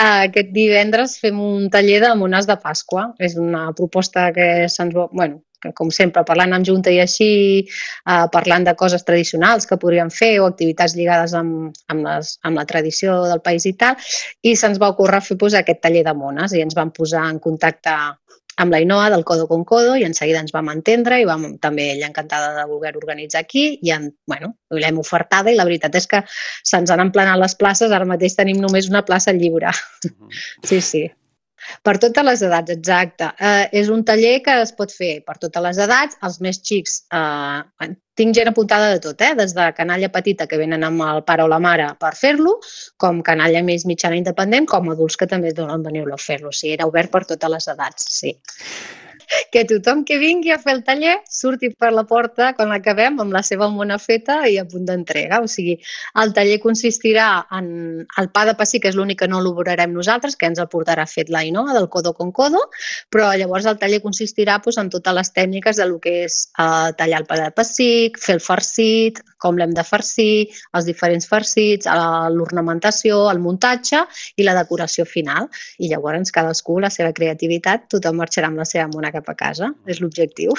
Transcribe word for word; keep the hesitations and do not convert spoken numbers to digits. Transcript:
Aquest divendres fem un taller de mones de Pasqua. És una proposta que se'ns va... Bueno, que com sempre, parlant amb Junta i així, eh, parlant de coses tradicionals que podríem fer o activitats lligades amb, amb, les, amb la tradició del país i tal, i se'ns va ocórrer fer pues, aquest taller de mones i ens vam posar en contacte amb l'Ainoa del Codo con Codo i en seguida ens vam entendre i vam també ella encantada de voler organitzar aquí i en, bueno, l'hem ofertada i la veritat és que se'ns han emplenat les places, ara mateix tenim només una plaça lliure. Uh-huh. Sí, sí. Per totes les edats, exacte. Eh, és un taller que es pot fer per totes les edats, els més xics, eh, tinc gent apuntada de tot, eh? Des de canalla petita que venen amb el pare o la mare per fer-lo, com canalla més mitjana independent, com adults que també donen venir a fer-lo. O sigui, era obert per totes les edats, sí. Que tothom que vingui a fer el taller surti per la porta quan l'acabem amb la seva mona feta i a punt d'entrega. O sigui, el taller consistirà en el pa de pessic, que és l'únic que no elaborarem nosaltres, que ens el portarà fet l'Ainoa del Codo con Codo, però llavors el taller consistirà doncs, en totes les tècniques de lo que és eh, tallar el pa de pessic, fer el farcit, com l'hem de farcir, els diferents farcits, l'ornamentació, el muntatge i la decoració final. I llavors cadascú, la seva creativitat, tothom marxarà amb la seva mona cap a casa. És l'objectiu.